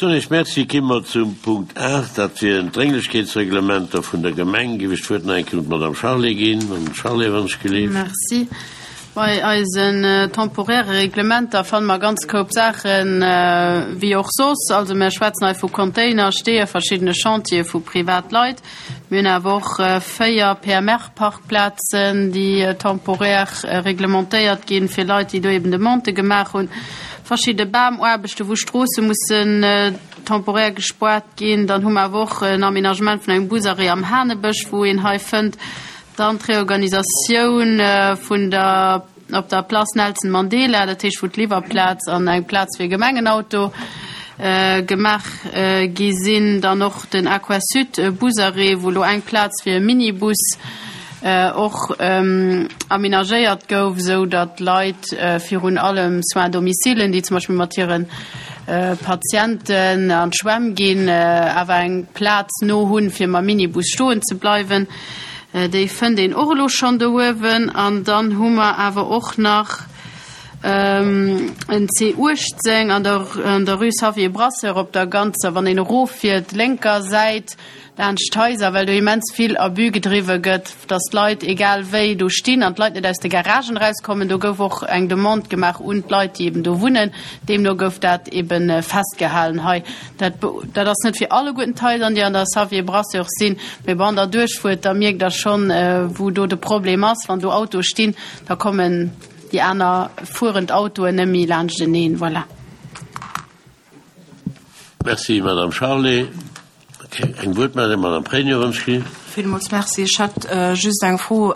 Soen Iech Merci. Ki mer zum Punkt 8, dat wieren d'Drénglechkeetsreglementer vun der Gemeng. Giff ech d'Wuert nach eng Kéier un d'Madame Charlé ginn. Madame Charlé, wann ech gelift. Merci. Bei eisen temporäre Reglementer fanne mer ganz Koup Saachen, wéi och soss. Also mer schwätzen hei vu Container, Steeë, verschiddene Chantiere vu Privatleit. Mir hunn awer och 4 PMR-Parkplazen, déi temporär reglementéiert ginn, fir Leit, déi do eben Demandë gemaach hunn. Verschidde Bamuaarbechten, wou Stroosse mussen temporär gespoart ginn. Dann hu mer awer och en Aménagement vun engem Busarrêt am Hanebësch, wou een hei fënnt. Dann d'Reorganisatioun vun der op der Place Nelson Mandela, dat heescht wou d'Liwwerplaz an eng Plaz fir Gemengenauto gemaach gi sinn. Dann och den Aquasud Busarrêt, wou elo eng Plaz fir e Minibus och amenagéiert gouf, esou datt Leit, virun allem Soins à domicile, déi zum Beispill mat hire Patienten an d'Schwämm ginn, awer eng Plaz no hunn, fir mam Minibus stoen ze bleiwen. Déi fënnt een och elo schonn do uewen. An dann hu mer awer och nach en C18 an der, an der Rue Xavier Brasseur op der ganzer, wann een eroffiert, lénker Säit laanscht d'Haiser, well do immens vill Abus gedriwwe gëtt, dass d'Leit egal wéi do stinn an d'Leit net aus de Garagen erauskommen. Do gouf och eng Demande gemaach un d'Leit, déi eben do wunnen. Deemno gouf dat ebe festgehalen hei. Dat, dat ass net fir alleguerten d'Haiser, déi an der Xavier Brasseur sinn, mee wann Der duerchfuert, da mierkt Der schonn, wou do de Problem ass. Wann do Autoe stinn, da kommen déi aner fuerend Autoen net méi laanschteneen. Voilà. Merci, Madame Charlé. Eng Wuertmeldung, Madame Pregno-Wonschke. Villmools Merci. Ech hätt just eng Fro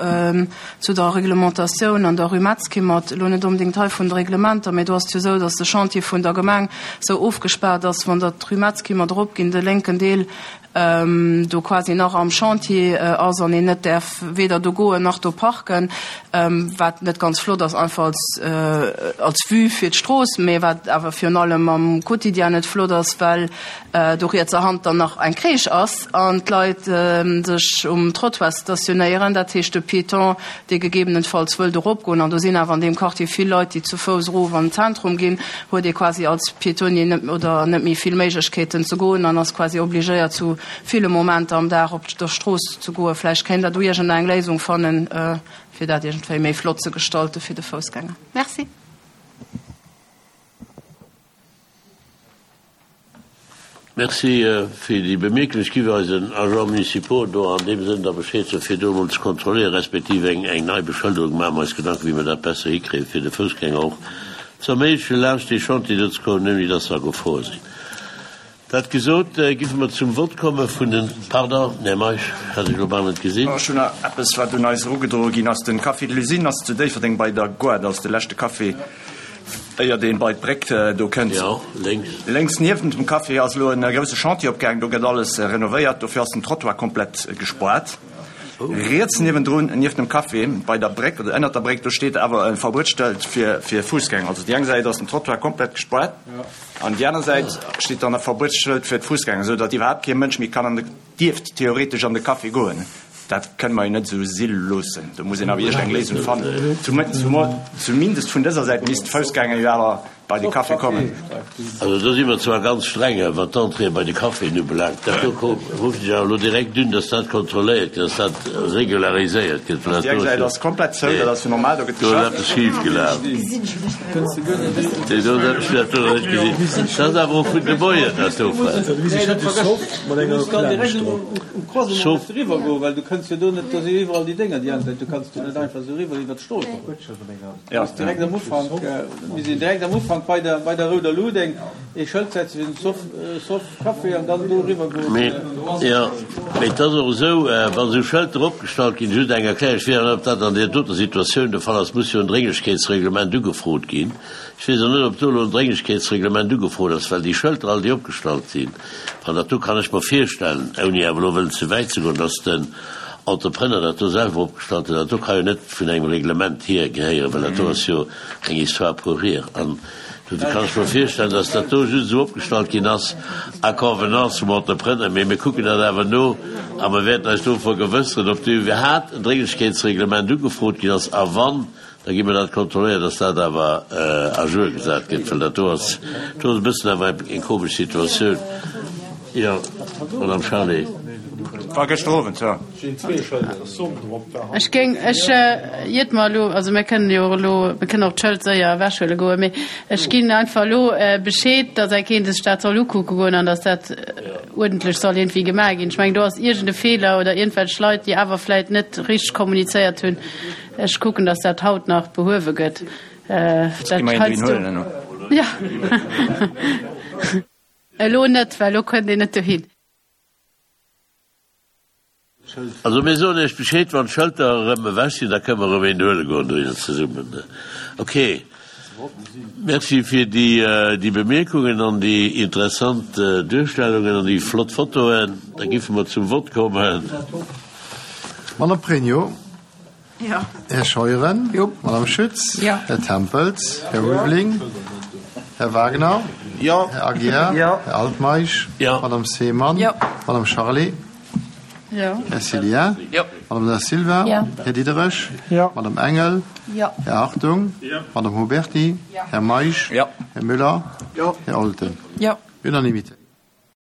zu der Reglementatioun an der Rue Metzkimmert. Elo net onbedéngt hei vun de Reglementer, mä do ass et jo esou, datt de Chantier vun der Gemeng esou ofgespaart ass, wann Der d'Rue Metzkimmert eropginn, de lénken Deel do quasi nach am Chantier ass an een net däerf weder do goen nach do parken, wat net ganz flott ass, einfach als als Vue fir d'Strooss, mä wat awer virun allem am Quotidien net flott ass, well do rietser Hand dann nach eng Crèche ass an d'Leit sech um Trottoir stationéieren, dat heescht de Piéton, dee gegebenenfalls wëllt eropgoen, an do sinn awer an deem Quartier vill Leit, déi zu Fouss erof an den Zentrum ginn, huet ee quasi als Piétonnier net oder net méi vill Méiglechkeeten ze goen an ass quasi obligéiert zu ville Momenter am Dag op der Strooss ze goen. Vläicht kéint Der do iergendeng Léisung fannen, fir dat iergendwéi méi flott ze gestalten fir de Foussgänger. Merci. Merci fir déi Bemierkung. Ech giff eisen Agents municipaux do an deem Sënn da Bescheed soen, fir do emol ze kontrolléieren, respektiv eng eng nei Beschëlderung maache mer eis Gedanken, wéi mer dat besser hikréien, fir de Foussgänger och ze erméiglechen, laanscht dee Chantier do ze kommen, ouni dass se a Gefor sinn. Dat gesot, giffe mer zum Vott komme vun den, pardon, Här Meisch, hat ech elo bal net gesinn. Ech hunn nach eppes, wat un eis erugedroe ginn ass. Den Café de l'Usine ass zu Déifferdeng bei der Gare, dat ass de leschte Café. Éiert een bei d'Bréck do kënnt. Jo, lénks. Lénks niewent dem Café ass elo en grousse Chantier opgaang. Do gëtt alles renovéiert. Dofir ass den Trottoir komplett gespoart. Riets niewendrun, nieft dem Café, bei der Bréck oder ënnert der Bréck, do steet awer e Verbuetsstëlt fir fir Fuussgänger. Also déi eng Säit ass den Trottoir komplett gespoart an déi aner Säit steet dann e Verbuetsschëld fir d'Fuussgänger, esou datt iwwerhaapt kee Mënsch méi kann an de, dierft theoretesch an de Café goen. Dat kënne mer jo net esou si loossen. Do muss een awer iergend eng Léisung fannen. Zumindest vun dëser Säit misst d'Foussgänger jo awer bei de Café kommen. Also do si mer zwar ganz streng, wat d'Entrée bei de Caféen ubelaangt. Dat do ruffen ech awer elo direkt un, dass dat kontrolléiert gëtt, dass dat regulariséiert gëtt, well dat do ass jo. Déi eng Säit ass komplett zou, dat ass jo normal, do gëtt geschafft. Do ass eppes schif gelaf. Déi do ass eppes, dat do net gesinn. Dat ass awer och vun de Moien, dat do. Sauf. Well du kënns jo do net, do si jo iwwerall déi Dénger déi aner Säit, du kanns do net einfach esou eriwwer iwwer d'Strooss. Du muss direkt am Ufank, mir sinn direkt am Ufank bei der, bei der rouder Lut eng ee Schëld setzen fir den Soff, Soff Café an dann do eriwwer goen. Mee, jo, mee et ass och esou, wa sou Schëlter opgestallt ginn, just eng Erklärung, ech weess awer net, ob dat an där doter Situatioun de Fall ass, muss jo en Drénglechkeetsreglement ugefrot ginn. Ech weess och net, ob do elo en Drénglechkeetsreglement ugefrot ass, well déi Schëlter all, déi opgestallt sinn, An dat do kann ech mer virstellen, ouni awer elo wëllen ze wäit ze goen, dass den Entrepreneur dat do selwer opgestallt huet. Dat do ka jo net vun engem Reglement hier gehéieren, well dat do ass jo eng Histoire pour rire. An dofir kann ech mer virstellen, dass dat do just esou opgestallt ginn ass à convenance vum Entrepreneur. Mee mir kucken dat awer no a mer wäerten eis do vergewësseren, ob do iwwerhaapt en Drénglechkeetsreglement ugefrot ginn ass a wann. Da gi mer dat kontrolléieren, dass dat awer à jour gesat gëtt, well dat do ass, do ass e bëssen awer eng komesch Situatioun. Jo, Madame Charlé. War gëschter Owend, jo. Ech géing, ech iert mer elo, also mir kënnen jo och elo, mir kënnen och d'Schëld séier ewechhuele goen, mee ech ginn einfach elo Bescheed, dass eng Keent sech dat soll ukucke goen an dass dat uerdentlech soll iergendwéi gemaach ginn. Ech mengen, do ass iergend e Feeler oder iergendwelch Leit, déi awer vläicht net richteg kommunizéiert hunn. Ech kucken, dass dat haut nach behuewe gëtt. Dat heiansdo. Jo. Elo net, well elo kënnt een net dohin. Also mir soen Iech Bescheed, wann d'Schëlter erëm ewech sinn, da kënne mer erëm een huele goen dohinner zesummen. Ok. Merci fir déi Bemierkungen an déi interessant Duerstellungen an déi flott Fotoen. Da giffe mer zum Vott kommen. Madame Pregno. Här Scheuren. Madame Schütz. Här Tempels. Här Ulveling. Här Wagner. Här Aguiar. Här Altmeisch. Madame Seemann. Madame Charlé. Här Cillien. Madame Da Silva. Här Diderich. Madame Engel. Här Hartung. Madame Huberty. Här Meisch. Här Müller. Här Olten. Unanimité.